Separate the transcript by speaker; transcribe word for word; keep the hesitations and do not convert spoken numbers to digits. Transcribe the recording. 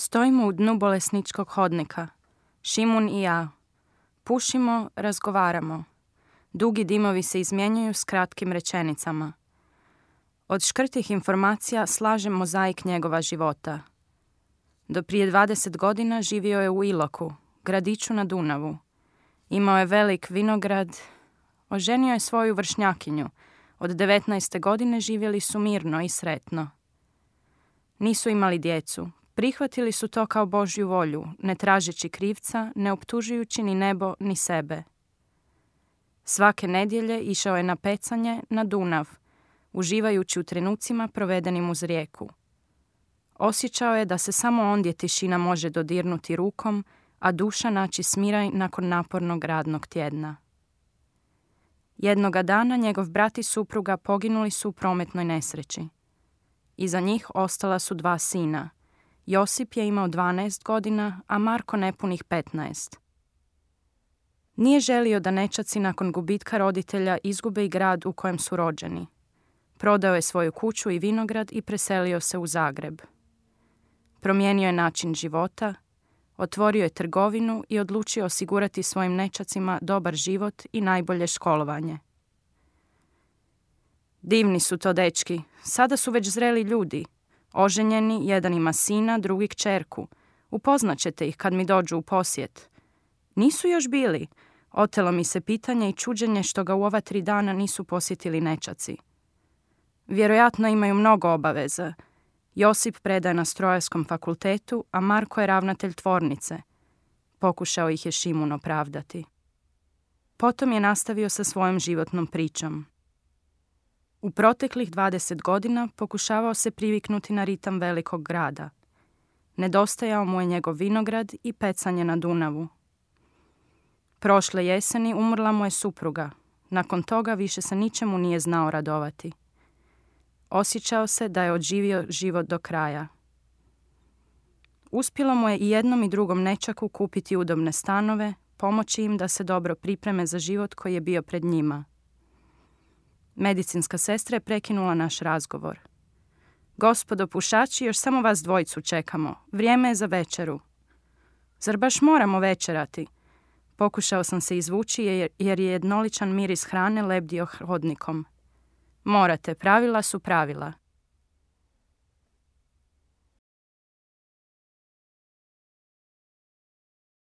Speaker 1: Stojimo u dnu bolesničkog hodnika. Šimun i ja. Pušimo, razgovaramo. Dugi dimovi se izmjenjuju s kratkim rečenicama. Od škrtih informacija slažem mozaik njegova života. Do prije dvadeset godina živio je u Iloku, gradiću na Dunavu. Imao je velik vinograd. Oženio je svoju vršnjakinju. Od devetnaeste godine živjeli su mirno i sretno. Nisu imali djecu. Prihvatili su to kao Božju volju, ne tražeći krivca, ne optužujući ni nebo ni sebe. Svake nedjelje išao je na pecanje na Dunav, uživajući u trenucima provedenim uz rijeku. Osjećao je da se samo ondje tišina može dodirnuti rukom, a duša naći smiraj nakon napornog radnog tjedna. Jednoga dana njegov brat i supruga poginuli su u prometnoj nesreći. Iza njih ostala su dva sina. Josip je imao dvanaest godina, a Marko nepunih petnaest. Nije želio da nećaci nakon gubitka roditelja izgube i grad u kojem su rođeni. Prodao je svoju kuću i vinograd i preselio se u Zagreb. Promijenio je način života, otvorio je trgovinu i odlučio osigurati svojim nećacima dobar život i najbolje školovanje. Divni su to dečki, sada su već zreli ljudi. Oženjeni, jedan ima sina, drugi kćerku. Upoznat ćete ih kad mi dođu u posjet. Nisu još bili. Otelo mi se pitanje i čuđenje što ga u ova tri dana nisu posjetili nećaci. Vjerojatno imaju mnogo obaveza. Josip predaje na strojarskom fakultetu, a Marko je ravnatelj tvornice. Pokušao ih je Šimun opravdati. Potom je nastavio sa svojom životnom pričom. U proteklih dvadeset godina pokušavao se priviknuti na ritam velikog grada. Nedostajao mu je njegov vinograd i pecanje na Dunavu. Prošle jeseni umrla mu je supruga. Nakon toga više se ničemu nije znao radovati. Osjećao se da je odživio život do kraja. Uspjelo mu je i jednom i drugom nećaku kupiti udobne stanove, pomoći im da se dobro pripreme za život koji je bio pred njima. Medicinska sestra je prekinula naš razgovor. Gospodo pušači, još samo vas dvojicu čekamo. Vrijeme je za večeru. Zar baš moramo večerati? Pokušao sam se izvući jer je jednoličan miris hrane lebdio hodnikom. Morate, pravila su pravila.